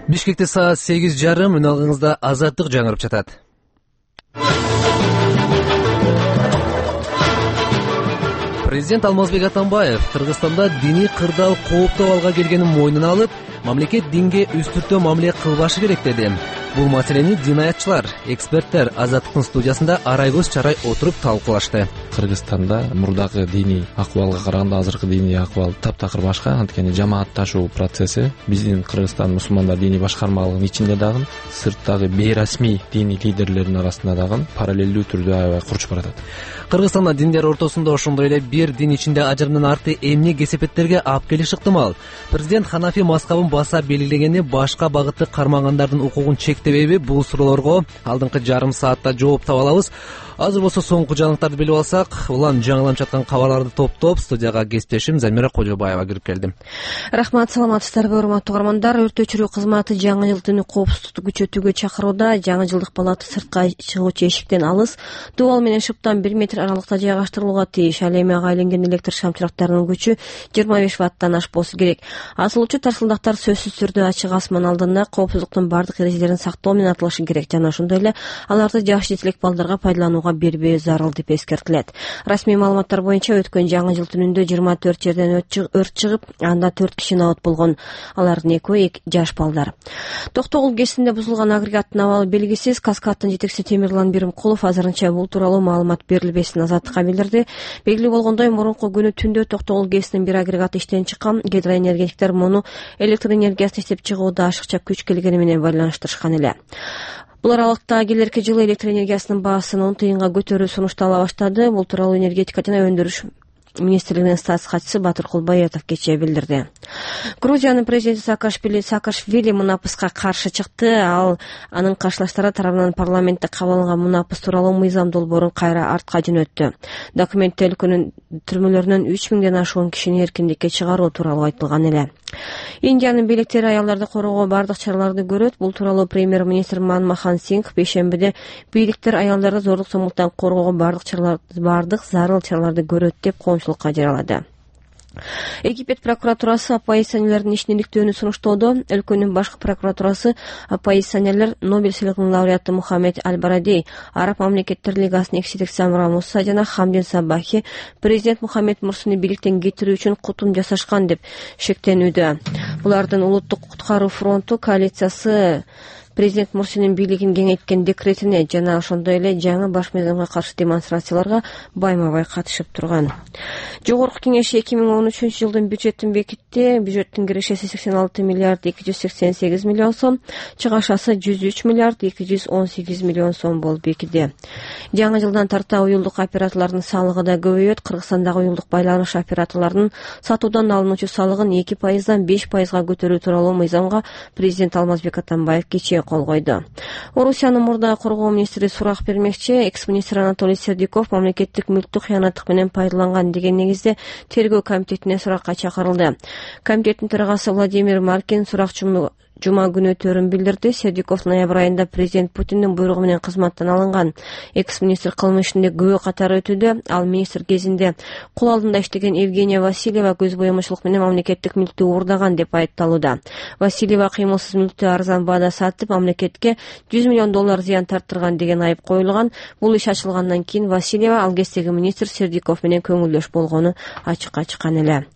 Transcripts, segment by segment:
Бишкекте саат 8:30 үналыңызда Азаттык жаңырып жатат. Президент Алмазбек Атамбаев Кыргызстанда диний кырдаал кооптуу абалга келгенин мойнуна алып, мамлекет динге үстүртө мамиле кылбашы керек деди. Бул маселени динаятчылар, эксперттер Азаттыктын студиясында арай-көз чарай отуруп талкуулашты. Кыргызстанда мурдагы диний акыбалга караганда азыркы диний акыбал таптакыр башка. Анткени жамаатташуу процесси биздин Кыргызстан мусулмандар диний башкармалыгынын ичинде дагы, сырттагы бейрасмий диний лидерлердин арасында дагы параллелдүү түрдө аябай курчуп баратат. Кыргызстанда диндер ортосунда ошондой эле бир дин ичинде ажырымдын арты эмне кесепеттерге алып келиши ыктымал? Президент Ханафи мазхабын баса белгилегени башка багытты кармагандардын укугун чектебейби? Бул суроолорго алдыңкы жарым саатта жооп таба алабыз. Азыр болсо соңку жаңылыктарды билип алсак, улам жаңыланып жаткан кабарларды топтоп студияга кесиптешим Замира Кожобаева кирип келди. Рахмат, саламатсыздарбы урматтуу угармандар. Өрт өчүрүү кызматы жаңы жыл түнү коопсуздукту күчөтүүгө чакырууда. Жаңы жылдык палата сыртка чыгуучу эшиктен алыс, дубал менен шыптан 1 метр аралыкта жайгаштырылууга тийиш. Ал эми ага айланган электр шамчырактарынын күчү 25 ваттан ашпоосу керек. Асылуучу тарсылдактар сөзсүз түрдө ачык асман алдында коопсуздуктун бардык эрежелерин сактоо менен атылышы керек жана ошондой эле аларды жаш жетилек балдарга пайдаланууга бербөө зарыл деп эскертилет. Расмий маалыматтар боюнча өткөн жаңы жыл түнүндө 24 жерден өрт чыгып, анда 4 киши абат болгон. Алардын экөө жаш балдар. Токтогул ГЭСинде бузулган агрегаттын абалы белгисиз. Каскадтын жетекчиси Темирлан Биримкулов азырынча бул тууралуу маалымат берилбесин Азаттыкка билдирди. Белгилүү болгондой, мурунку күнү түндө Токтогул ГЭСинин бир агрегаты иштен чыккан. Гидроэнергетиктер муну электр энергиясын иштеп чыгууда ашыкча күч келгени менен байланыштырышкан эле. Бул аралыкта келерки жылы электр энергиясынын баасын 10 тыйынга көтөрүү сунуштала баштады. Бул тууралуу энергетика жана өндүрүш министрлигинин статс катчысы Батыркул Баятов кечээ билдирди. Грузиянын президенти Саакашвили мунапыска каршы чыкты. Ал анын каршылаштары тарабынан парламентте кабыл алынган мунапыс тууралуу мыйзам долбоорун кайра артка жөнөттү. Документте өлкөнүн түрмөлөрүнөн 3000ден ашуун кишини эркиндикке чыгаруу тууралуу айтылган эле. Индиянын бийликтери аялдарды коргоого бардык чараларды көрөт. Бул тууралуу премьер-министр Манмохан Сингх бейшембиде бийликтер аялдарды зорлук-зомбулуктан коргоого бардык зарыл чараларды көрөт деп коомчулукка жарыялады. Египет прокуратурасы оппозиционерлердин ишин иликтөөнү сунуштоодо. Өлкөнүн башкы прокуратурасы оппозиционерлер Нобель сыйлыгынын лауреаты Мухаммед Аль-Барадей, Араб мамлекеттер лигасынын экс-жетекчиси Самра Муса жана Хамдин Сабахи президент Мухаммед Мурсини бийликтен кетирүү үчүн кутум жасашкан деп шектенүүдө. Булардын улуттук куткаруу фронту коалициясы президент Мурсинин бийлигин кеңейткен декретине жана ошондой эле жаңы баш мыйзамга каршы демонстрацияларга байма-бай катышып турган. Жогорку кеңеш 2013 жылдын бюджетин бекитти. Бюджеттин кирешеси 86 миллиард 288 миллион сом, чыгашасы 103 миллиард 218 миллион сом болуп бекиди. Жаңы жылдан тарта уюлдук операторлордун салыгы да көбөйөт. Кыргызстандагы уюлдук байланыш операторлорунун сатуудан алынуучу салыгын 2%дан 5%га көтөрүү тууралуу мыйзамга президент Алмазбек Атамбаев кечээ кол койду. Орусиянын мурда коргоо министри сурак бермекчи. Экс-министр Анатолий Сердюков мамлекеттик мүлктү кыянаттык менен пайдаланган деген негизде тергөө комитетине суракка чакырылды. Комитеттин төрагасы Владимир Маркин сурак жума күнү өтөөрүн билдирди. Сердюков ноябрь айында президент Путиндин буйругу менен кызматтан алынган. Экс-министр кылмыш ишинде күбө катары өтүүдө. Ал министр кезинде кул алдында иштеген Евгения Васильева көз боемочулук менен мамлекеттик мүлктү уурдаган деп айыпталууда. Васильева кыймылсыз мүлктү арзан баада сатып, мамлекетке $100 миллион зыян тарттырган деген айып коюлган. Бул иш ачылгандан кийин Васильева ал кездеги министр Сердюков менен көңүлдөш болгону ачыкка чыккан эле.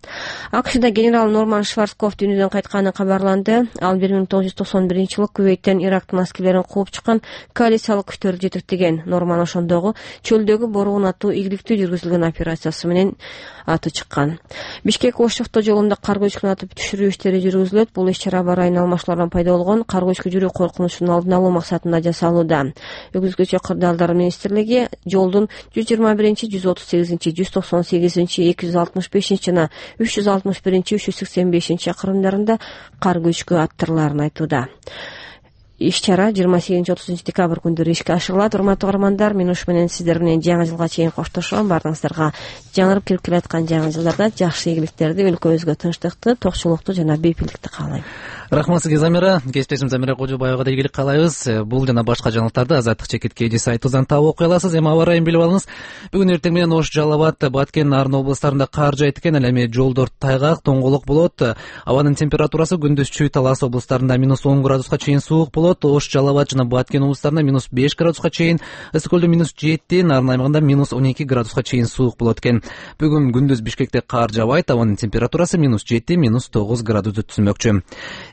АКШда генерал Норман Шварцкопф дүйнөдөн кайтканы кабарланды. Ал 1991 жылы Кувейттен Ирактын аскерлерин кууп чыккан коалициялык күчтөрдү жетектеген. Норман ошондогу чөлдөгү боругун атуу ийгиликтүү жүргүзүлгөн операциясы менен аты чыккан. Бишкек-Ош автожолунда кар көчкүн атып түшүрүү иштери жүргүзүлөт. Бул иш-чара Барайын алмаштуулардан пайда болгон кар көчкү жүрүү коркунучунун алдын алуу максатында жасалууда. Өгүзгүчө кырдаалдар министрлиги жолдун 121, 138, 198, 265 жана 361, 385 чакырымдарында кар көчкү аттырларын айтууда. Иш-чара 28-30 декабрь күндөрү ишке ашырылат. Урматтуу угармандар, мен ушу менен сиздер менен жаңы жылга чейин коштошом. Бардыгыңыздарга жаңырып кирип келаткан жаңы жылдарда жакшы ийгиликтерди, өлкөбүзгө тынчтыкты, токчулукту жана бейпилдикти каалайм. Рахмат сизге, Замира. Кесиптешим Замира Кожобаевага да ийгилик каалайбыз. Бул жана башка жаңылыктарды Азаттык чекит KG сайтыбыздан таап окуй аласыз. Эми аба ырайын билип алыңыз. Бүгүн эртең менен Ош, Жалал Абад, Баткен, Нарын облустарында кар жаайт экен. Ал эми жолдор тайгак, тоңголок болот. Абанын температурасы күндүз Чүй, Талас облустарында -10 градуска чейин суук болот. Ош, Жалал Абад жана Баткен облустарында -5 градуска чейин, Ысык көлдө -7, Нарын аймагында -12 градуска чейин суук болот экен. Бүгүн күндүз Бишкекте кар жаабайт. Абанын температурасы -7, -9 градусты түзмөкчү.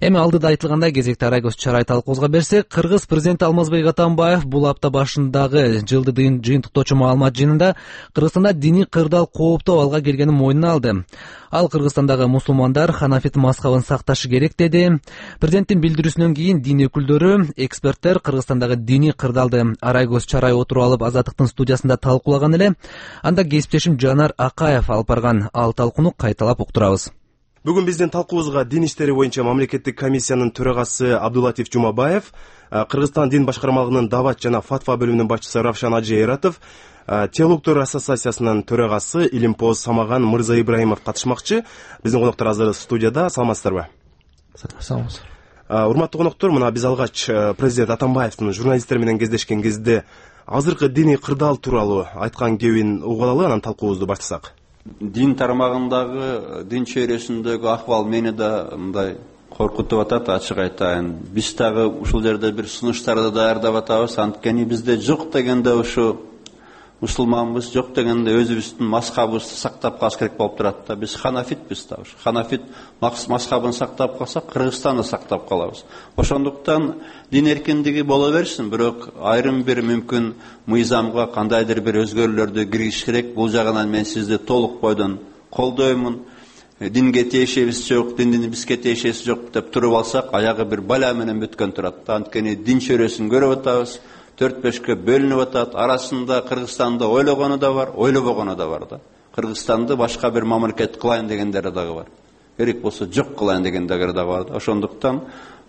Эми алдыда айтылгандай кезекти Арайгөз чарай талкуубузга берсек, Кыргыз президенти Алмазбек Атамбаев бул апта башындагы жылды жыйынтыктоочу маалымат жыйынында Кыргызстанда диний кырдаал кооптуу абалга келгенин мойнуна алды. Ал Кыргызстандагы мусулмандар ханафит мазхабын сакташы керек деди. Президенттин билдирүүсүнөн кийин дин өкүлдөрү, эксперттер Кыргызстандагы диний кырдаалды Арайгөз чарай отуруп алып Азаттыктын студиясында талкуулаган эле. Анда кесиптешим Жанар Акаев алып барган ал талкууну кайталап уктурабыз. Бүгүн биздин талкуубузга дин иштери боюнча мамлекеттик комиссиянын төрагасы Абдулатиф Жумабаев, Кыргызстан дин башкармалыгынын дават жана фатва бөлүмүнүн башчысы Равшан Ажи Эратов, Теологдор ассоциациясынын төрагасы Илимпоз Самаган Мырза Ибраимов катышмакчы. Биздин коноктор азыр студияда. Саламатсыздарбы? Саламатсыз. Урматтуу коноктор, мына биз алгач президент Атамбаевдин журналисттер менен кездешкен кезде азыркы диний кырдаал тууралуу айткан кебин угуп алалы, анан талкуубузду баштасак. Дин тармагындагы, дин чөйрөсүндөгү акыбал мени да мындай коркутуп атат, ачык айтайын. Биз дагы ушул жерде бир сунуштарды даярдап атабыз. Анткени бизде жок дегенде ушу мусулманбыз, жок дегенде өзүбүздүн мазхабыбызды сактап калыш керек болуп турат да. Биз ханафитпиз да. Ханафит мазхабын сактап калсак, Кыргызстанды сактап калабыз. Ошондуктан дин эркиндиги боло берсин, бирок айрым бир мүмкүн мыйзамга кандайдыр бир өзгөрүүлөрдү киргизиш керек. Бул жагынан мен сизди толук бойдон колдоймун. Динге тиешебиз жок, диндин бизге тиешеси жок деп туруп алсак, аягы бир бала менен бүткөн турат да. Анткени дин чөйрөсүн көрүп атабыз. 4-5 бөлүнүп атат. Арасында Кыргызстанды ойлогону да бар, ойлобогону да бар да. Кыргызстанды башка бир мамлекет кылайын дегендери дагы бар. Керек болсо жок кылайын дегендери дагы бар да. Ошондуктан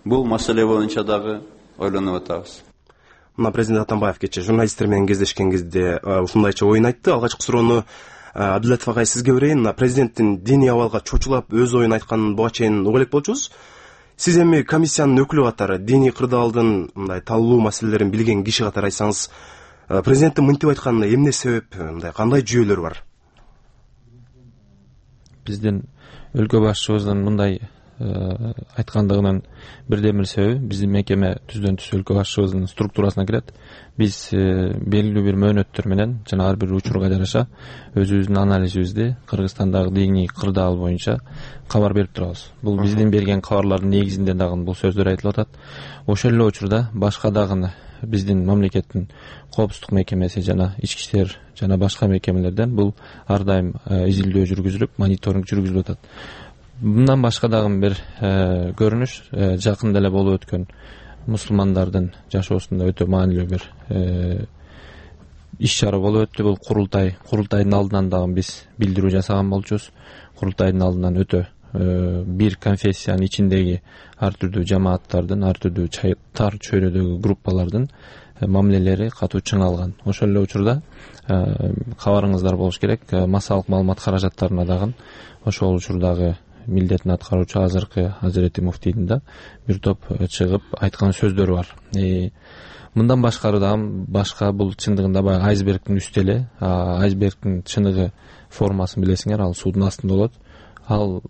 бул маселе боюнча дагы ойлонуп атабыз. Мына президент Атамбаев кечээ журналисттер менен кездешкен кезде ушундайча оюн айтты. Алгачкы суроону Абдулатиф агай сизге берейин. Президенттин диний абалга чочулап өз оюн айтканын буга чейин угуп элек болчубуз. Сиз эми комиссиянын өкүлү катары диний кырдаалдын мындай талуу маселелерин билген киши катары айтсаңыз, президенттин мынтип айтканына эмне себеп, мындай кандай жүйөлөр бар? Биздин өлкө башчыбыздын мындай айткандыгынын бирден бир себеби биздин мекеме түздөн түз өлкө башчыбыздын структурасына кирет. Биз белгилүү бир мөөнөттөр менен жана ар бир учурга жараша өзүбүздүн анализибизди Кыргызстандагы диний кырдаал боюнча кабар берип турабыз. Бул биздин берген кабарлардын негизинде дагы бул сөздөр айтылып атат. Ошол эле учурда башка дагы биздин мамлекеттин коопсуздук мекемеси жана ички иштер жана башка мекемелерден бул ар дайым изилдөө жүргүзүлүп, мониторинг жүргүзүлүп атат. Мындан башка дагы бир көрүнүш жакында эле болуп өткөн мусулмандардын жашоосунда өтө маанилүү бир иш чара болуп өттү. Бул курултайдын алдынан дагы биз билдирүү жасаган болчубуз. Курултайдын алдынан өтө бир конфессиянын ичиндеги ар түрдүү жамааттардын, ар түрдүү тар чөйрөдөгү группалардын мамилелери катуу чыңалган. Ошол эле учурда кабарыңыздар болуш керек, массалык маалымат каражаттарына дагы ошол учурдагы милдетин аткаруучу азыркы Азирети муфтийдин да бир топ чыгып айткан сөздөрү бар. Мындан башкары дагы башка бул чындыгында баягы айсбергдин үстү эле. Айсбергдин чыныгы формасын билесиңер, ал суудун астында болот. Ал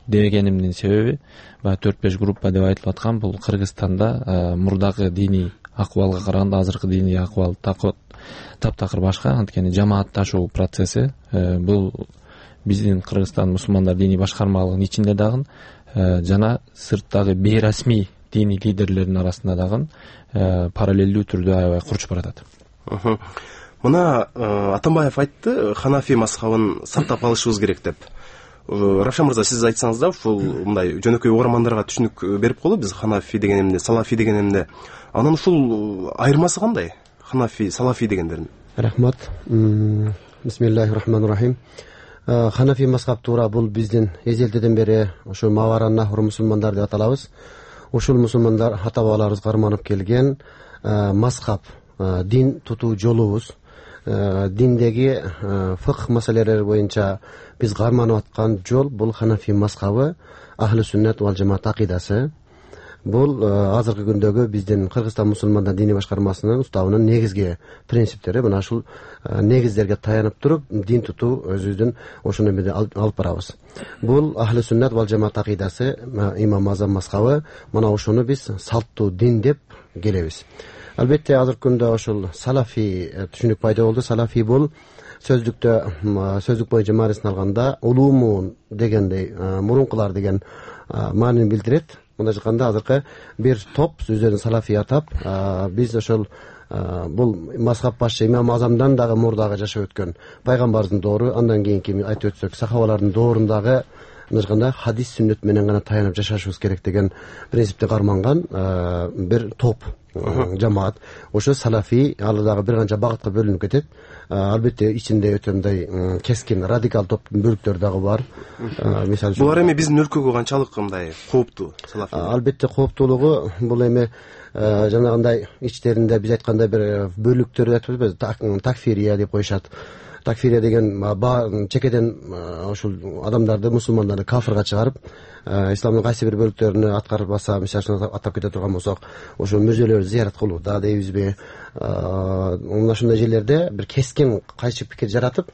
дегенимдин себеби баягы 4-5 группа деп айтылып аткан бул Кыргызстанда мурдагы диний акыбалга караганда азыркы диний акыбал таптакыр башка. Анткени жамаатташуу процесси бул биздин Кыргызстан мусулмандар диний башкармалыгынын ичинде дагы жана сырттагы бейрасмий диний лидерлердин арасында дагы параллелдүү түрдө аябай курчуп баратат. Мына Атамбаев айтты, ханафи мазхабын сактап калышыбыз керек деп. Равшан мырза, сиз айтсаңыз да, ушул мындай жөнөкөй угармандарга түшүнүк берип коелу, биз ханафи деген эмне, салафи деген эмне. Анан ушул айырмасы кандай? Ханафи, салафи дегендердин. Рахмат. Бисмиллахир-рахманир-рахим. Ханафи мазхаб туура бул биздин эзелдеден бери ошо Маваран Нахр мусулмандар деп аталабыз. Ушул мусулмандар ата бабаларыбыз карманып келген мазхаб, дин тутуу жолубуз. Диндеги фыкх маселелери боюнча биз карманып аткан жол бул ханафи мазхабы, ахли сүннат вал жамаат акыйдасы. бул азыркы күндөгү биздин Кыргызстан мусулмандар диний башкармасынын уставынын негизги принциптери. Мына ушул негиздерге таянып туруп дин тутуу өзүбүздүн ошону менен алып барабыз. Бул ахли суннат вал жамаат акыйдасы, имам Азам мазхабы. Мына ошону биз салттуу дин деп келебиз. Албетте азыркы күндө ошол салафи түшүнүк пайда болду. Салафи бул сөздүк боюнча маанисин алганда улуумун дегендей, мурункулар деген маанини билдирет. Мындай айтканда азыркы бир топ өздөрүн салафи атап, биз ошол бул мазхаб башчы имам Азамдан дагы мурдагы жашап өткөн пайгамбардын доору, андан кийинки айтып өтсөк сахабалардын доорундагы айтканда хадис сүннөт менен гана таянып жашашыбыз керек деген принципти карманган бир топ жамаат. Ошо салафи, ал дагы бир канча багытка бөлүнүп кетет. Албетте ичинде өтө мындай кескин радикал топтун бөлүктөрү дагы бар. Мисалы үчүн булар эми биздин өлкөгө канчалык мындай кооптуу салафи? Албетте кооптуулугу бул эми жанагындай ичтеринде биз айткандай бир бөлүктөр айтып атпайбызбы, такфирия деп коюшат. Такфирия деген чекеден ушул адамдарды, мусулмандарды кафырга чыгарып, исламдын кайсы бир бөлүктөрүнө аткарбаса, мисалы атап кете турган болсок, ошол мүрзөлөрдү зыярат кылуу да дейбизби, мына ушундай жерлерде бир кескин кайчы пикир жаратып,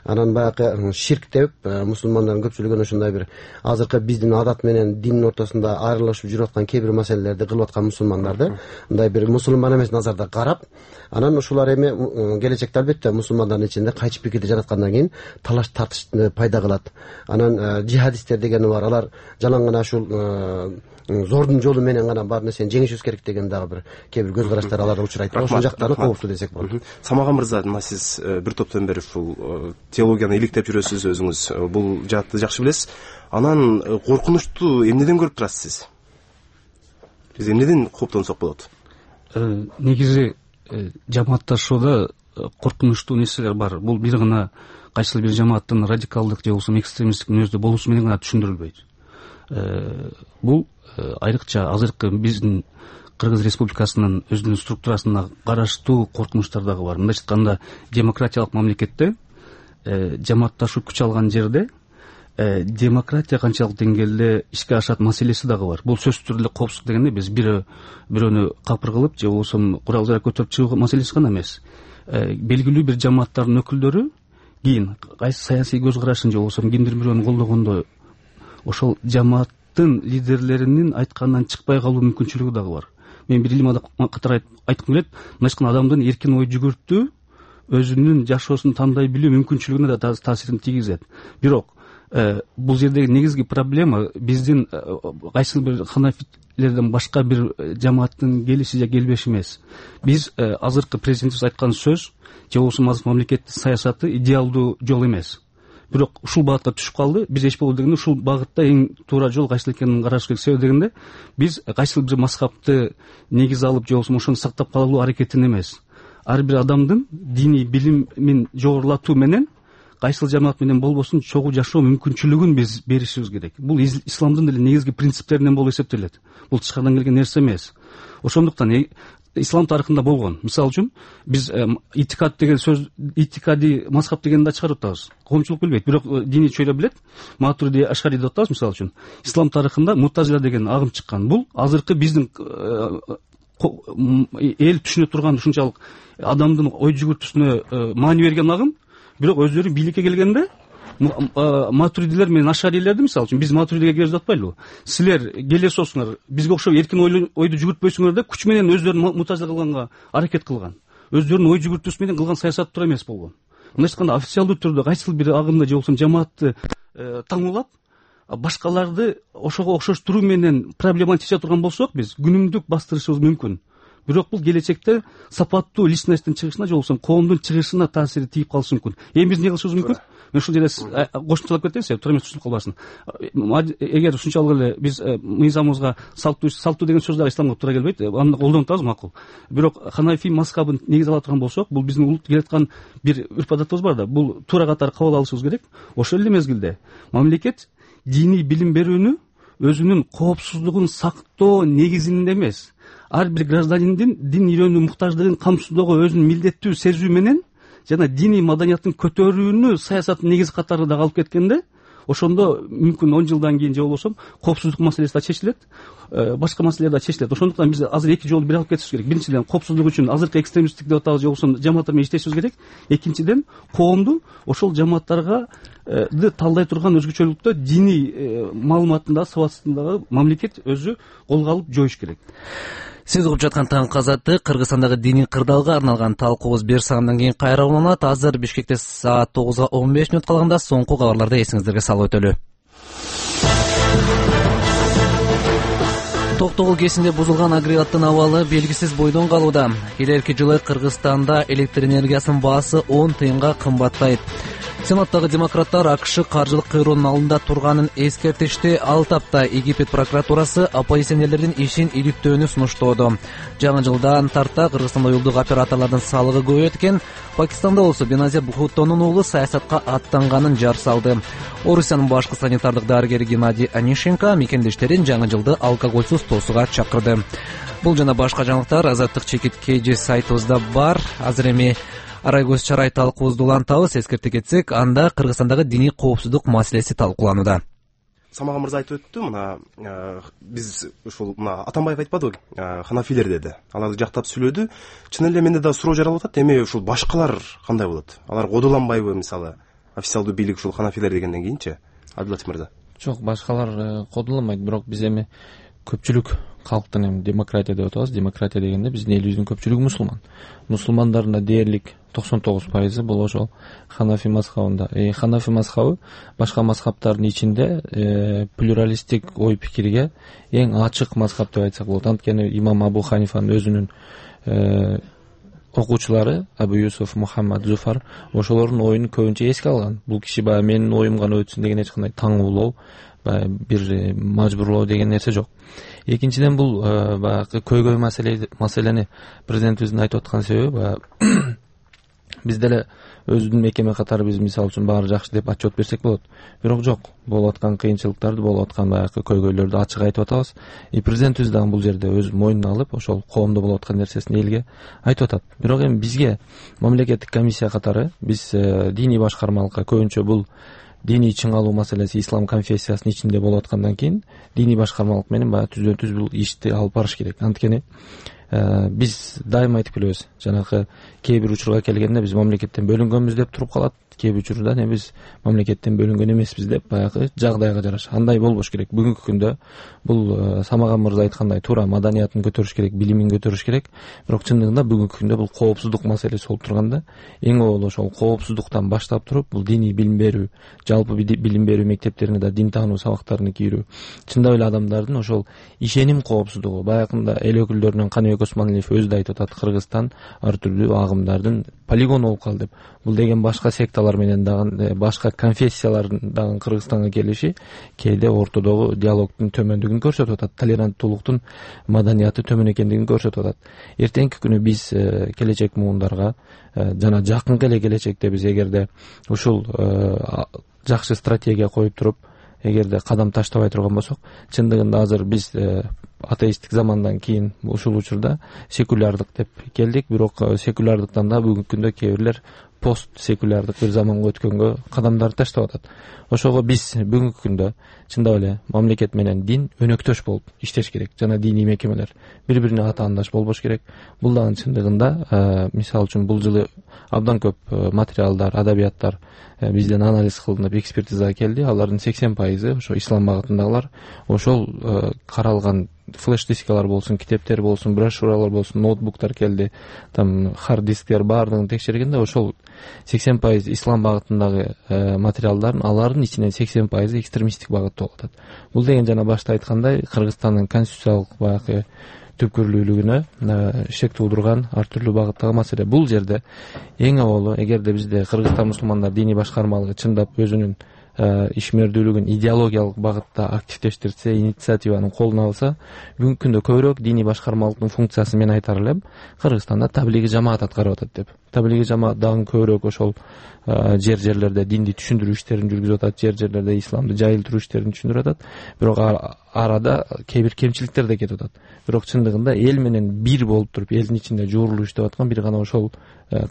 анан баягы ширк деп мусулмандардын көпчүлүгүн ушундай бир азыркы биздин адат менен диндин ортосунда айрылышып жүрүп аткан кээ бир маселелерди кылып аткан мусулмандарды мындай бир мусулман эмес назарда карап, анан ушулар эми келечекте албетте мусулмандардын ичинде кайчы пикирди жараткандан кийин талаш тартышты пайда кылат. Анан жихадисттер дегени бар, алар жалаң гана ушул зордун жолу менен гана бар нерсени жеңишибиз керек деген дагы бир кээ бир көз караштар аларда учурайт. Ошол жактары кооптуу десек болот. Самаган мырза, мына сиз бир топтон бери ушул теологияны иликтеп жүрөсүз, өзүңүз бул жаатты жакшы билесиз. Анан коркунучтуу эмнеден көрүп турасыз сиз? Биз эмнеден кооптонсок болот? Негизи жамаатташууда коркунучтуу нерселер бар. Бул бир гана кайсыл бир жамааттын радикалдык же болбосо экстремисттик мүнөздө болуусу менен гана түшүндүрүлбөйт. Бул айрыкча азыркы биздин Кыргыз Республикасынын өзүнүн структурасына караштуу коркунучтар дагы бар. Мындайча айтканда, демократиялык мамлекетте жамаатташуу күч алган жерде демократия канчалык деңгээлде ишке ашат маселеси дагы бар. Бул сөзсүз түрдө коопсуздук дегенде биз бирөөнү капыр кылып же болбосо курал жарак көтөрүп чыгуу маселеси гана эмес. Белгилүү бир жамааттардын өкүлдөрү кийин кайсы саясий көз карашын же болбосо кимдир бирөөнү колдогондо ошол жамааттын лидерлеринин айтканынан чыкпай калуу мүмкүнчүлүгү дагы бар. Мен бир илим катары айткым келет, мындайча адамдын эркин ой жүгүртүү, өзүнүн жашоосун тандай билүү мүмкүнчүлүгүнө да таасирин тийгизет. Бирок бул жердеги негизги проблема биздин кайсыл бир ханафилерден башка бир жамааттын келиши же келбеши эмес. Биз азыркы президентибиз айткан сөз же болбосо мамлекеттин саясаты идеалдуу жол эмес. Бирок ушул багытка түшүп калды. Биз эч болбосо дегенде ушул багытта эң туура жол кайсыл экенин караш керек. Себеби дегенде биз кайсыл бир мазхабты негиз алып же болбосо ошону сактап калуу аракетин эмес. Ар бир адамдын диний билимин жогорулатуу менен кайсыл жамаат менен болбосун чогуу жашоо мүмкүнчүлүгүн биз беришибиз керек. Бул исламдын деле негизги принциптеринен болуп эсептелет. Бул тышкарыдан келген нерсе эмес. Ошондуктан ислам тарыхында болгон. Мисалы үчүн биз итикад деген сөз, итикади мазхаб дегенди да чыгарып атабыз. Коомчулук билбейт, бирок диний чөйрө билет. Матуриди, Ашари деп атабыз мисалы үчүн. Ислам тарыхында Мутазила деген агым чыккан. Бул азыркы биздин эл түшүнө турган ушунчалык адамдын ой жүгүртүүсүнө маани берген агым, бирок өздөрү бийликке келгенде матуридилер менен ашарилерди мисалы үчүн биз матуридиге киребиз деп атпайлыбы? Силер келе соосуңар, бизге окшоп эркин ойду жүгүртпөйсүңөр деп күч менен өздөрүн мутазила кылганга аракет кылган. Өздөрүнүн ой жүгүртүүсү менен кылган саясаты туура эмес болгон. Мындайча айтканда, официалдуу түрдө кайсыл бир агымды же болбосо жамаатты таңуулап, башкаларды ошого окшош туруу менен проблеманы чече турган болсок, биз күнүмдүк бастырышыбыз мүмкүн. Бирок бул келечекте сапаттуу личностьтин чыгышына же болбосо коомдун чыгышына таасири тийип калышы мүмкүн. Эми биз эмне кылышыбыз мүмкүн? Мен ушул жерде кошумчалап кетейинчи, туура эмес түшүнүп калбасын. Эгер ушунчалык эле биз мыйзамыбызга салттуу деген сөз дагы исламга туура келбейт, аны колдонуп атабыз, макул. Бирок ханафи мазхабын негиз ала турган болсок, бул биздин улут келаткан бир үрп адатыбыз бар да, бул туура катары кабыл алышыбыз керек. Ошол эле мезгилде мамлекет диний билим берүүнү өзүнүн коопсуздугун сактоо негизинде эмес, ар бир гражданиндин дин үйрөнүү муктаждыгын камсыздоого өзүнүн милдеттүү сезүү менен жана диний маданияттын көтөрүүнү саясаттын негизи катары дагы алып кеткенде, ошондо мүмкүн 10 жылдан кийин же болбосо коопсуздук маселеси да чечилет, башка маселелер да чечилет. Ошондуктан биз азыр эки жолду бир алып кетишибиз керек. Биринчиден, коопсуздук үчүн азыркы экстремисттик деп атабыз же болбосо жамааттар менен иштешибиз керек. Экинчиден, коомду ошол жамааттарга талдай турган өзгөчөлүктө диний маалыматында сабатсыздыгы мамлекет өзү колго алып жоюш керек. Сиз угуп жаткан Таңкы азаттык Кыргызстандагы диний кырдаалга арналган талкуубуз бир саамдан кийин кайра уланат. Азыр Бишкекте саат 9:15 калганда соңку кабарларды эсиңиздерге салып өтөлү. Токтогул кесинде бузулган агрегаттын абалы белгисиз бойдон калууда. Келерки жылы Кыргызстанда электр энергиясынын баасы 10 тыйынга кымбаттайт. Сенаттагы демократтар АКШ каржылык кыйроонун алдында турганын эскертишти. Ал тапта Египет прокуратурасы оппозиционерлердин ишин иликтөөнү сунуштоодо. Жаңы жылдан тарта Кыргызстанда уюлдук операторлордун салыгы көбөйөт экен. Пакистанда болсо Беназир Бхуттонун уулу саясатка аттанганын жар салды. Орусиянын башкы санитардык дарыгери Геннадий Онищенко мекендештерин жаңы жылды алкоголсуз тосууга чакырды. Бул жана башка жаңылыктар Азаттык чекит KG сайтыбызда бар. Азыр эми арай көз чарай талкуубузду улантабыз. Эскерте кетсек, анда Кыргызстандагы диний коопсуздук маселеси талкууланууда. Самага мырза айтып өттү, мына биз ушул мына Атамбаев айтпадыбы, ханафилер деди. Аларды жактап сүйлөдү. Чын эле менде да суроо жаралып атат. Эми ушул башкалар кандай болот? Алар кодуланбайбы, мисалы, официалдуу бийлик ушул ханафилер дегенден кийинчи? Абдулатив мырза. Жок, башкалар кодуланбайт, бирок биз эми көпчүлүк калктын эми демократия деп атабыз. Демократия дегенде биздин элибиздин көпчүлүгү мусулман. Мусулмандардын да дээрлик 99% бул ошол ханафи мазхабында. Ханафи мазхабы башка мазхабтардын ичинде плюралисттик ой пикирге эң ачык мазхаб деп айтсак болот. Анткени имам Абу Ханифанын өзүнүн окуучулары Абу Юсуф, Мухаммад, Зуфар ошолордун оюн көбүнчө эске алган. Бул киши баягы менин оюм гана өтсүн деген эч кандай таңуулоо, баягы бир мажбурлоо деген нерсе жок. Экинчиден, бул баягы көйгөй маселени президентибиздин айтып аткан себеби баягы биз деле өзүбүздүн мекеме катары биз мисалы үчүн баары жакшы деп отчет берсек болот. Бирок жок, болуп аткан кыйынчылыктарды, болуп аткан баягы көйгөйлөрдү ачык айтып атабыз. Президентибиз дагы бул жерде өз мойнуна алып, ошол коомдо болуп аткан нерсесин элге айтып атат. Бирок эми бизге мамлекеттик комиссия катары биз диний башкармалыкка көбүнчө бул диний чыңалуу маселеси ислам конфессиясынын ичинде болуп аткандан кийин диний башкармалык менен баягы түздөн-түз бул ишти алып барыш керек. Анткени биз дайыма айтып келебиз, жанагы кээ бир учурга келгенде биз мамлекеттен бөлүнгөнбүз деп туруп калат, кээ бир учурда биз мамлекеттен бөлүнгөн эмеспиз деп баягы жагдайга жараша. Андай болбош керек. Бүгүнкү күндө бул Самаган мырза айткандай туура маданиятын көтөрүш керек, билимин көтөрүш керек. Бирок чындыгында бүгүнкү күндө бул коопсуздук маселеси болуп турганда, эң awal ошол коопсуздуктан баштап туруп, бул диний билим берүү, жалпы билим берүү мектептерине да дин таануу сабактарын кийрүү, чындап эле адамдардын ошол ишеним коопсуздугу. Баягында эл өкүлдөрүнөн Каныбек Осмоналиев өзү да айтып атат, Кыргызстан ар түрдүү агымдардын полигон болуп калды деп. Бул деген башка секталар менен дагы, башка конфессиялардын дагы Кыргызстанга келиши кээде ортодогу диалогдун төмөндүгүн көрсөтүп атат, толеранттуулуктун маданияты төмөн экендигин көрсөтүп атат. Эртеңки күнү биз келечек муундарга жана жакынкы эле келечекте биз эгерде ушул жакшы стратегия коюп туруп, эгерде кадам таштабай турган болсок, чындыгында азыр биз атеисттик замандан кийин ушул учурда секулярдык деп келдик, бирок секулярдыктан да бүгүнкү күндө кээ бирлер пост секулярдык бир заманга өткөнгө кадамдарды таштап атат. Ошого биз бүгүнкү күндө чындап эле мамлекет менен дин өнөктөш болуп иштеш керек. Жана диний мекемелер бири-бирине атаандаш болбош керек. Бул дагы чындыгында мисалы үчүн бул жылы абдан көп материалдар, адабияттар бизден анализ кылынып, экспертизага келди. Алардын 80% ошо ислам багытындагылар. Ошол каралган флеш дискалар болсун, китептер болсун, брошюралар болсун, ноутбуктар келди, там хард дисктер баардыгын текшергенде ошол 80% ислам багытындагы материалдардын алардын ичинен 80% экстремисттик багытта болуп атат. Бул деген жана башта айткандай Кыргызстандын конституциялык баягы түпкүрлүүлүгүнө шек туудурган ар түрдүү багыттагы маселе. Бул жерде эң awal эгерде бизде Кыргызстан мусулмандар диний башкармалыгы чындап өзүнүн ишмердүүлүгүн идеологиялык багытта активдештирсе, инициативаны колуна алса, бүгүнкү күндө көбүрөөк диний башкармалыктын функциясы мен айтар элем Кыргызстанда таблиги жамаат аткарып атат деп. Таблиги жамаат дагы көбүрөөк ошол жерлерде динди түшүндүрүү иштерин жүргүзүп атат, жерлерде исламды жайылтыруу иштерин түшүндүрүп атат. Бирок арада кээ бир кемчиликтер да кетип атат. Бирок чындыгында эл менен бир болуп туруп элдин ичинде жуурулуп иштеп аткан бир гана ошол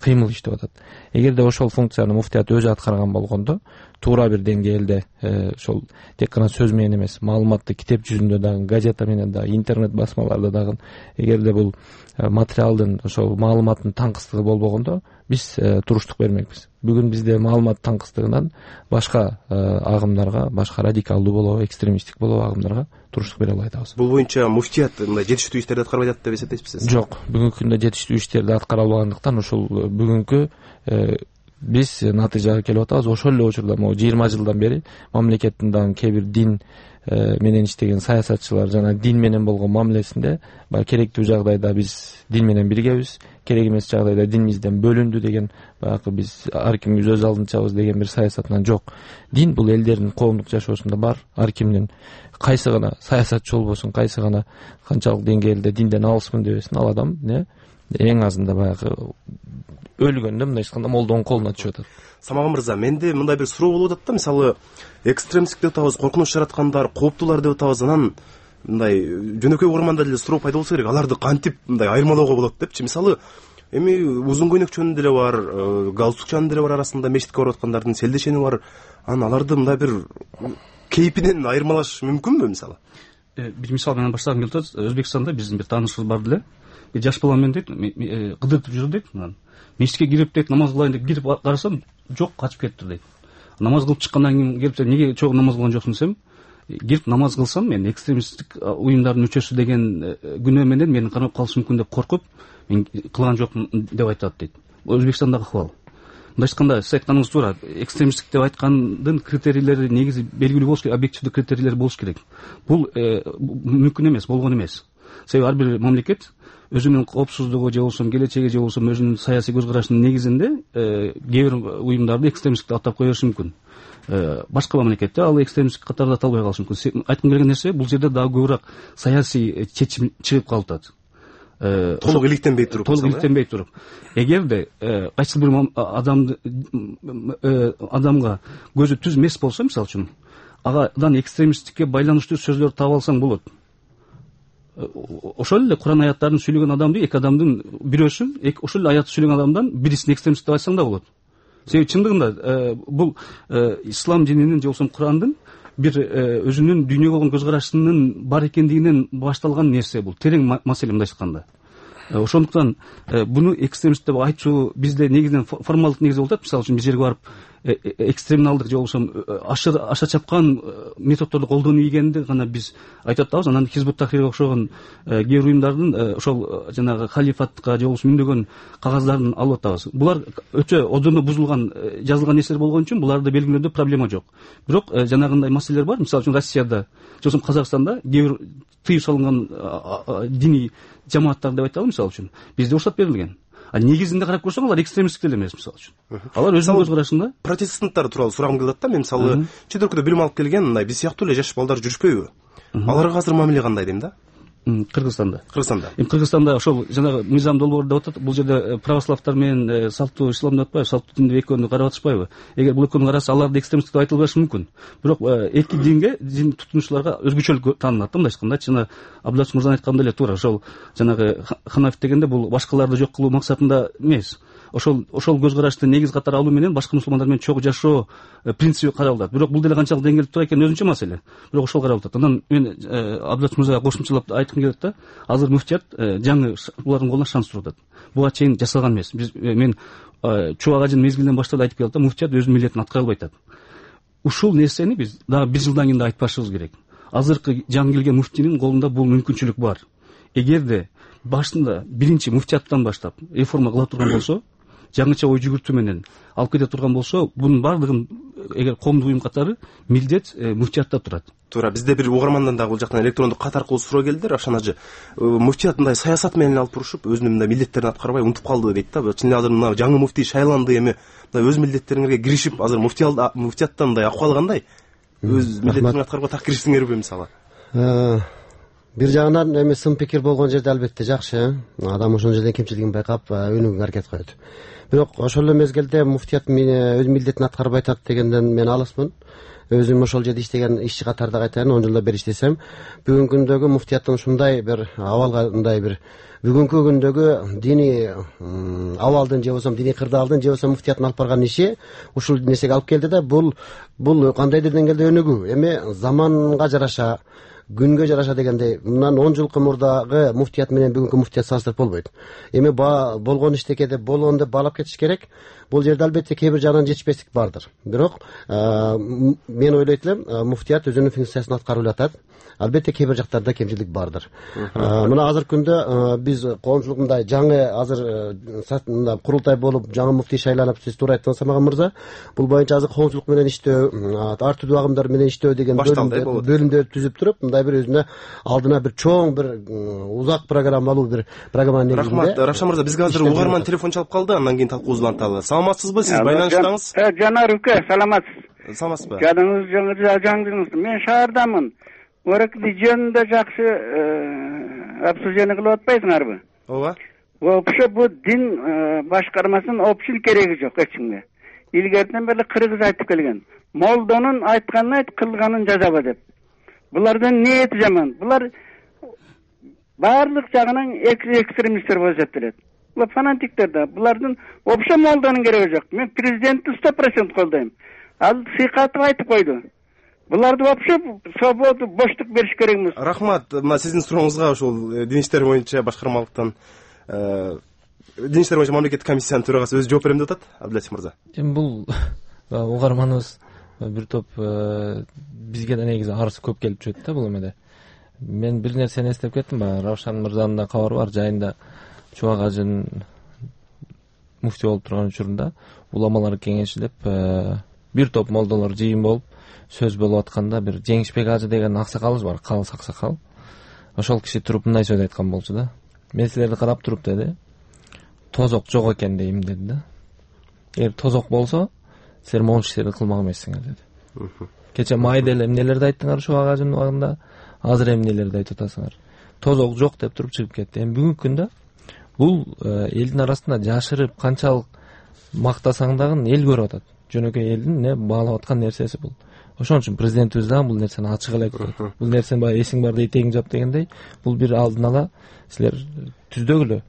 кыймыл иштеп атат. Эгерде ошол функцияны муфтият өзү аткарган болгондо, туура бир деңгээлде ошол тек гана сөз менен эмес, маалыматты китеп жүзүндө дагы, газета менен дагы, интернет басмаларда дагы, эгерде бул материалдын ошол маалыматтын таңкыстыгы болбогондо, биз туруштук бермекпиз. Бүгүн бизде маалымат таңкыстыгынан башка агымдарга, башка радикалдуу болобу, экстремисттик болобу агымдарга туруштук бере албай атабыз. Бул боюнча муфтият мындай жетиштүү иштерди аткарбай атат деп эсептейсизби? Жок, бүгүнкү күндө жетиштүү иштерди аткара албагандыктан ушул бүгүнкү биз натыйжага келип атабыз. Ошол эле учурда могу 20 жылдан бери мамлекеттин дагы кээ бир дин менен иштеген саясатчылар жана дин менен болгон мамилесинде баягы керектүү жагдайда биз дин менен биргебиз, керек эмес жагдайда динибизден бөлүндү деген, баягы биз ар кимибиз өз алдынчабыз деген бир саясатынан жок. Дин бул элдердин коомдук жашоосунда бар. Ар кимдин кайсы гана саясатчы болбосун, кайсы гана канчалык деңгээлде динден алысмын дебесин, ал адам эң азында баягы өлгөндө мындай айтканда молдонун колуна түшүп атат. Самаган мырза, менде мындай бир суроо болуп атат да, мисалы экстремисттик деп атабыз, коркунуч жараткандар, кооптуулар деп атабыз, анан мындай жөнөкөй угарманда деле суроо пайда болсо керек, аларды кантип мындай айырмалоого болот депчи. Мисалы эми узун көйнөкчөнү деле бар, галстукчанын деле бар арасында, мечитке барып аткандардын селдешени бар. Анан аларды мындай бир кейпинен айырмалаш мүмкүнбү мисалы? Бир мисал менен баштагым келип атат. Өзбекстанда биздин бир таанышыбыз бар деле. Бир жаш бала менен дейт, кыдыртып жүрдү дейт. Мечитке кирип дейт, намаз кылайын деп кирип карасам, жок, качып кетти дейт. Намаз кылып чыккандан кийин келип, неге чогуу намаз кылган жоксуң десем, кирип намаз кылсам мен экстремисттик уюмдардын мүчөсү деген күнөө менен мени кармап калышы мүмкүн деп коркуп, мен кылган жокмун деп айтат дейт. Өзбекстандагы акыбал. Мындай айтканда, сиз айтканыңыз туура. Экстремисттик деп айткандын критерийлери негизи белгилүү болуш керек, объективдүү критерийлер болуш керек. Бул мүмкүн эмес, болгон эмес. Себеби ар бир мамлекет өзүнүн коопсуздугу же болбосо келечеги же болбосо өзүнүн саясий көз карашынын негизинде кээ бир уюмдарды экстремисттик деп атап кое бериши мүмкүн. Башка мамлекетте ал экстремисттик катарда аталбай калышы мүмкүн. Айткым келген нерсе, бул жерде дагы көбүрөөк саясий чечим чыгып калып атат. Толук иликтенбей туруп. Толук иликтенбей туруп. Эгерде кайсы бир адамга көзү түз эмес болсо, мисалы үчүн, агадан экстремисттикке байланыштуу сөздөр таап алсаң болот. Ошол эле Куран аяттарын сүйлөгөн адамды, эки адамдын бирөөсү, ошол эле аятты сүйлөгөн адамдан бирисин экстремист деп айтсаң да болот. Себеби чындыгында бул ислам дининин же болбосо Курандын бир өзүнүн дүйнөгө болгон көз карашынын бар экендигинен башталган нерсе бул. Терең маселе мындай айтканда. Ошондуктан буну экстремист деп айтуу бизде негизинен формалдык негизи болуп атат. Мисалы үчүн бир жерге барып экстремалдык же болбосо аша чапкан методдорду колдонуу ийгенди гана биз айтып атабыз. Анан Хизбут Тахрирге окшогон кээ бир уюмдардын ошол жанагы халифатка же болбосо миңдөгөн кагаздарын алып атабыз. Булар өтө одоно бузулган, жазылган нерселер болгон үчүн буларды белгилөөдө проблема жок. Бирок жанагындай маселелер бар. Мисалы үчүн Россияда же болбосо Казакстанда кээ бир тыюу салынган диний жамааттар деп айталы, мисалы үчүн бизде уруксат берилген. Негизинде карап көрсөң, алар экстремисттик деле эмес, мисалы үчүн. Алар өзүнүн көз карашында. Протестанттар тууралуу сурагым келип атат да. Мен мисалы чет өлкөдө билим алып келген, мындай биз сыяктуу эле жаш балдар жүрүшпөйбү? Аларга азыр мамиле кандай дейм да? Кыргызстанда. Кыргызстанда ошол жанагы мыйзам долбоор деп атат. Бул жерде православтар менен салттуу ислам деп атпайбы, салттуу дин деп экөөнү карап атышпайбы? Эгер бул экөөнү караса, аларды экстремисттик деп айтылбашы мүмкүн. Бирок эки динге, дин тутунуучуларга өзгөчөлүк таанылат да, мындай айтканда. Жана Абдуллач мырзанын айтканы деле туура. Ошол жанагы ханаф дегенде бул башкаларды жок кылуу максатында эмес. Ошол көз карашты негиз катары алуу менен башка мусулмандар менен чогуу жашоо принципи каралат. Бирок бул деле канчалык деңгээлде туура экени өзүнчө маселе. Бирок ошол каралып атат. Анан мен Абдуллач мырзага кошумчалап айткым келет да, азыр муфтият жаңы булардын колуна шанс туруп атат. Буга чейин жасалган эмес. Мен Чубак ажынын мезгилинен баштап айтып келет да, муфтият өзүнүн милдетин аткара албай атат. Ушул нерсени биз дагы 1 жылдан кийин да айтпашыбыз керек. Азыркы жаңы келген муфтинин колунда бул мүмкүнчүлүк бар. Эгерде башында биринчи муфтияттан баштап реформа кыла турган болсо, жаңыча ой жүгүртүү менен алып кете турган болсо, бунун баардыгын эгер коомдук уюм катары милдет муфтиятта турат. Туура, бизде бир угармандан дагы бул жактан электрондук кат аркылуу суроо келди. Равшан ажы, муфтият мындай саясат менен алып турушуп, өзүнүн мындай милдеттерин аткарбай унутуп калды дейт да. Чын эле азыр мына жаңы муфтий шайланды, эми мындай өз милдеттериңерге киришип, азыр муфтияттан мындай акыбалы кандай? Өз милдеттериңерди аткарууга так киришсиңерби мисалы? бир жагынан эми сын пикир болгон жерде албетте жакшы, адам ошол жерден кемчилигин байкап өнүгүүгө аракет кылат. Бирок ошол эле мезгилде муфтият өз милдетин аткарбай атат дегенден мен алысмын. Өзүм ошол жерде иштеген ишчи катарда кайтайын, 10 жылда бери иштесем, бүгүнкү күндөгү муфтияттын ушундай бир абалга, мындай бир бүгүнкү күндөгү диний абалдын же болбосо диний кырдаалдын же болбосо муфтияттын алып барган иши ушул нерсеге алып келди да, бул кандайдыр деңгээлде өнүгүү. Эми заманга жараша, күнгө жараша дегендей, мындан 10 жыл мурдагы муфтият менен бүгүнкү муфтият салыштырып болбойт. Эми болгон иштекеде болгон деп баалап кетиш керек. Бул жерде албетте кээ бир жагынан жетишпестик бардыр. Бирок мен ойлойт элем, муфтият өзүнүн функциясын аткарып атат. Албетте кээ бир жактарда кемчилик бардыр. Мына азыркы күндө биз коомчулук мындай жаңы азыр курултай болуп жаңы муфтий шайланып, сиз туура айттыңыз Самаган мырза. Бул боюнча азыр коомчулук менен иштөө, ар түрдүү агымдар менен иштөө деген бөлүмдөр түзүп туруп, мындай бир өзүнө алдына бир чоң бир узак программалуу бир программанын негизинде. Рахмат, Равшан мырза, бизге азыр угарман телефон чалып калды, андан кийин талкуубузду уланталы. Саламатсызбы, сиз байланыштаңыз? Жанар ука, саламатсыз. Саламатсызбы? Жадыңыз жаңдыңыз. Мен шаардамын. Оракли жөнүндө жакшы обсуждение кылып атпайсыңарбы? Ооба. Вообще бу дин башкармасынын общий кереги жок эч кимге. Илгертен бери кыргыз айтып келген. Молдонун айтканын айт, кылганын жазаба деп. Булардын ниети жаман. Булар баардык жагынан экстремисттер болуп эсептелет. Булар фанатиктер да. Булардын вообще молдонун кереги жок. Мен президентти 100% колдойм. Ал сыйкатып айтып койду. Буларды вообще свободу, боштук бериш керек эмес. Рахмат. Мына сиздин сурооңузга ушул дин иштери боюнча башкармалыктан дин иштери боюнча мамлекеттик комиссиянын төрагасы өзү жооп берем деп атат, Абдулатиф мырза. Эми бул угарманыбыз бир топ бизге да негизи арыз көп келип жүрөт да бул эмеде. Мен бир нерсени эстеп кеттим, баягы Равшан мырзанын да кабары бар, жайында Чубак ажынын муфтий болуп турган учурунда уламалар кеңеши деп бир топ молдолор жыйын болуп сөз болуп атканда бир Жеңишбек ажы деген аксакалыбыз бар, калыс аксакал. Ошол киши туруп мындай сөз айткан болчу да. Мен силерди карап туруп деди, тозок жок экен дейм деди да. Эгер тозок болсо, силер могул иштерди кылмак эмессиңер деди. Кече майда эле эмнелерди айттыңар Чубак ажынын убагында, азыр эмнелерди айтып атасыңар. Тозок жок деп туруп чыгып кетти. Эми бүгүнкү күндө бул элдин арасында жашырып канчалык мактасаң дагы эл көрүп атат. Жөнөкөй элдин баалап аткан нерсеси бул. Ошон үчүн президентибиз дагы бул нерсени ачык эле айтат. Бул нерсени баягы эсиң барда этегиң жап дегендей, бул бир алдын ала силер түздөгүлө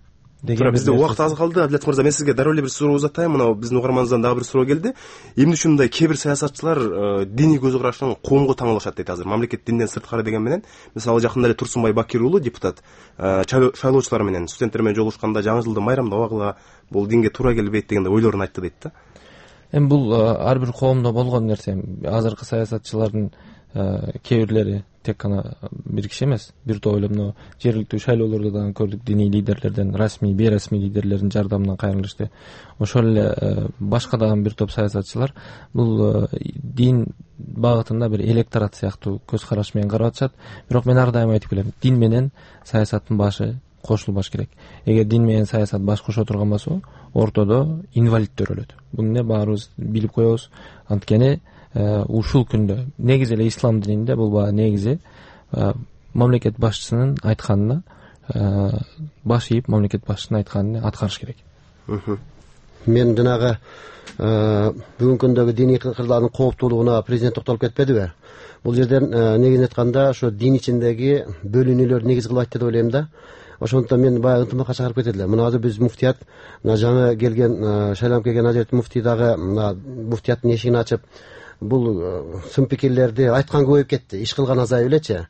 деген. Бизде убакыт аз калды. Абдулатиф мырза, мен сизге дароо эле бир суроо узатайын. Мына биздин угарманыбыздан дагы бир суроо келди. Эмне үчүн мындай кээ бир саясатчылар диний көз карашынан коомго таңалышат дейт азыр. Мамлекет динден сырткары деген менен. Мисалы жакында эле Турсунбай Бакир уулу депутат шайлоочулар менен, студенттер менен жолугушканда жаңы жылды майрамдабагыла, бул динге туура келбейт дегендей ойлорун айтты дейт да. Эми бул ар бир коомдо болгон нерсе. Азыркы саясатчылардын кээ бирлери тек гана бир киши эмес, бир топ эле мына жергиликтүү шайлоолордо дагы көрдүк, диний лидерлерден, расмий, бейрасмий лидерлердин жардамынан кайрылышты. Ошол эле башка дагы бир топ саясатчылар бул дин багытында бир электорат сыяктуу көз караш менен карап атышат. Бирок мен ар дайым айтып келем, дин менен саясаттын башы кошулбаш керек. Эгер дин менен саясат баш кошо турган болсо, ортодо инвалидтер өлөт. Буну баарыбыз билип коебуз. Анткени ушул күндө негизи эле ислам дининде бул баягы негизи мамлекет башчысынын айтканына баш ийип, мамлекет башчысынын айтканын аткарыш керек. Мен жанагы бүгүнкү күндөгү диний кырдаалдын кооптуулугуна президент токтолуп кетпедиби? Бул жерден негизин айтканда ошо дин ичиндеги бөлүнүүлөр негиз кылып айтты деп ойлойм да. Ошондуктан мен баягы ынтымакка чакырып кетет элем. Мына азыр биз муфтият жаңы келген, шайланып келген Азерет муфтий дагы муфтияттын эшигин ачып, бул сын пикирлерди айткан көбөйүп кетти. Иш кылган азайып элечи.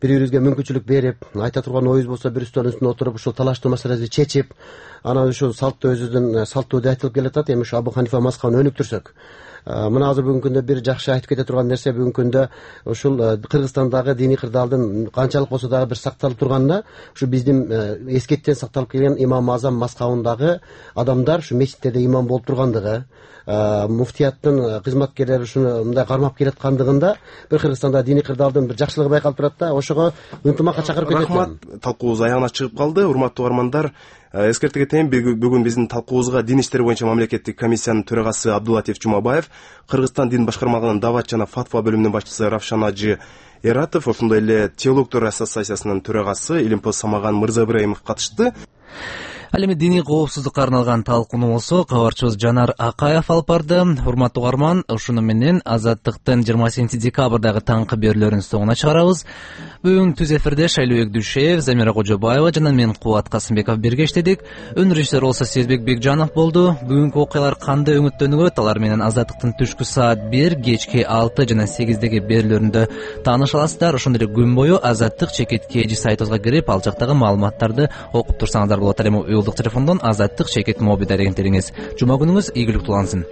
Бири-бирибизге мүмкүнчүлүк берип, айта турган оюбуз болсо бир үстөлдүн үстүнө отуруп, ушул талаштуу маселени чечип, анан ушул салтты өзүбүздүн салтуу деп айтылып келатат. Эми ушу Абу Ханифа мазхабын өнүктүрсөк, мына азыр бүгүнкү күндө бир жакшы айтып кете турган нерсе, бүгүнкү күндө ушул Кыргызстандагы диний кырдаалдын канчалык болсо дагы бир сакталып турганына, ушу биздин эскеттен сакталып келген имам Азам мазхабындагы адамдар ушу мечиттерде имам болуп тургандыгы, муфтияттын кызматкерлери ушуну мындай кармап келаткандыгында бир Кыргызстанда диний кырдаалдын бир жакшылыгы байкалып турат да. Ошого ынтымакка чакырып кетет. Рахмат. Талкуубуз аягына чыгып калды. Урматтуу угармандар, эскерте кетейин, бүгүн биздин талкуубузга дин иштери боюнча мамлекеттик комиссиянын төрагасы Абдулатиф Жумабаев, Кыргызстан дин башкармалыгынын дават жана фатва бөлүмүнүн башчысы Равшан ажы Эратов, ошондой эле теологдор ассоциациясынын төрагасы Илимпоз Самаган Мырза Ибраимов катышты. Ал эми диний коопсуздукка арналган талкууну болсо кабарчыбыз Жанар Акаев алып барды. Урматтуу угарман, ушуну менен Азаттыктын 28 декабрдагы таңкы берүүлөрүнүн соңуна чыгарабыз. Бүгүн түз эфирде Шайлообек Дүйшеев, Замира Кожобаева жана мен Кубат Касымбеков бирге иштедик. Өн режиссер болсо Сезбек Бекжанов болду. Бүгүнкү окуялар кандай өңүттөнүп, алар менен Азаттыктын түшкү саат 1, кечки 6 жана 8деги берүүлөрүндө тааныша аласыздар. Ошондой эле күн бою Азаттык /KG сайтыбызга кирип, ал жактагы маалыматтарды окуп турсаңыздар болот. Ал эми телефондон Азаттык /Mobi дарегин териңиз. Жума күнүңүз ийгиликтүү улансын.